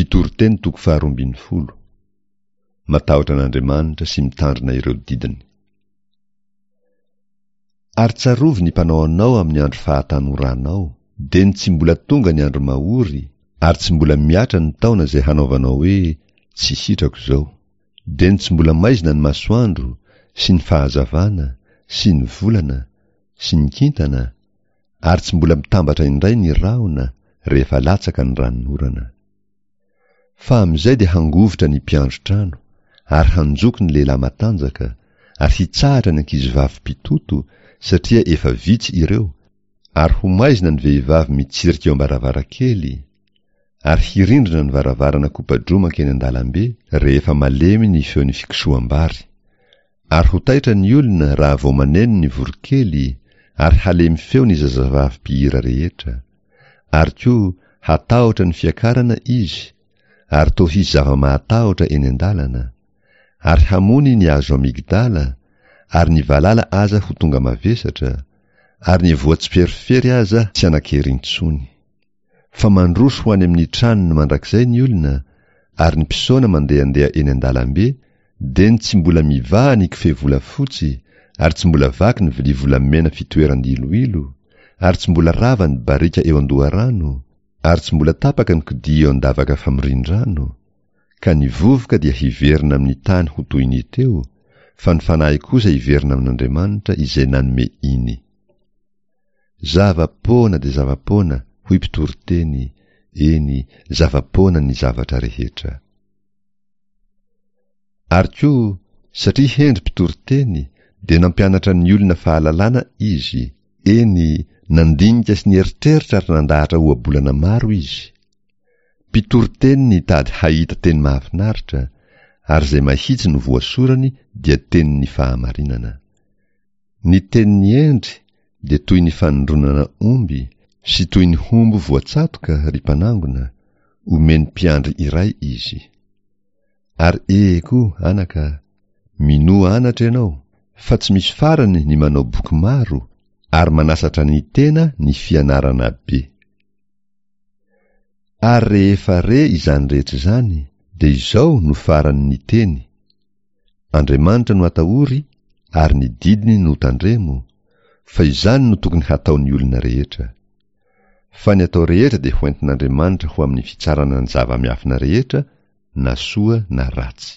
Mpitoriteny toko faharoambinifolo. Matahotra an'Andriamanitra sy mitandrina ireo didiny. Ary tsarovy ny mpanao anao amin'ny andro fahatanoranao, dia ny tsy mbola tonga ny andro mahory, ary tsy mbola mihatra ny taona izay hanaovanao hoe, Tsy sitrako izao. Dia ny tsy mbola maizina ny masoandro, sy ny fahazavana, sy ny volana, sy ny kintana, ary tsy mbola mitambatra indray ny rahona rehefa latsaka ny ranonorana. Fa amin'izay dia hangovitra ny mpiandry trano, ary hanjoko ny lehilahy matanjaka, ary hitsahatra ny ankizivavy mpitoto, satria efa vitsy ireo, ary ho maizina ny vehivavy mitsirika eo am-baravarankely, ary hirindrina ny varavarana kopa-droa mankeny an-dalambe rehefa malemy ny feon'ny fikosoham-bary. Ary ho taitra ny olona raha vao maneno ny voronkely, ary halemy feo ny zazavavy mpihira rehetra. Ary koa hatahotra ny fiakarana izy, ary toa hisy zava-mahatahotra eny an-dalana. Ary hamony ny hazo amygdala, ary ny valala aza ho tonga mavesatra, ary ny voa tsiperifery aza tsy hanan-kery intsony. Fa mandroso ho any amin'ny tranony mandrakizay ny olona, ary ny mpisaona mandehandeha eny an-dalambe, dia ny tsy mbola mivaha ny kofehy volafotsy, ary tsy mbola vaky ny vilia volamena fitoeran-diloilo, ary tsy mbola rava ny barika eo an-doharano, ary tsy mbola tapaka ny kodia eo an-davaka famorian-drano, ka ny vovoka dia hiverina amin'ny tany ho toy ny teo, fa ny fanahy kosa hiverina amin'Andriamanitra izay nanome iny. Zava-poana dia zava-poana, hoy mpitoriteny, eny, zava-poana ny zavatra rehetra. Ary koa, satria hendry mpitoriteny, dia nampianatra ny olona fahalalana izy, eny, nandinika sy nieritreritra ary nandahatra ohabolana maro izy. Mpitoriteny nitady hahita teny mahafinaritra, ary izay mahitsy no voasorany dia tenin'ny fahamarinana. Ny tenin'ny hendry dia toy ny fanindronana omby sy toy ny hombo voatsatoka, ry mpanangona, omeny mpiandry iray izy. Ary ee koa, anaka, minoa anatra ianao, fa tsy misy farany ny manao boky maro, ary manasatra ny tena ny fianarana be. Ary rehefa re izany rehetra izany, dia izao no farany ny teny, Andriamanitra no atahory ary ny didiny no tandremo, fa izany no tokony hataon'ny olona rehetra. Fa ny atao rehetra dia hoentin'Andriamanitra ho amin'ny fitsarana ny zava-miafina rehetra, na soa na ratsy.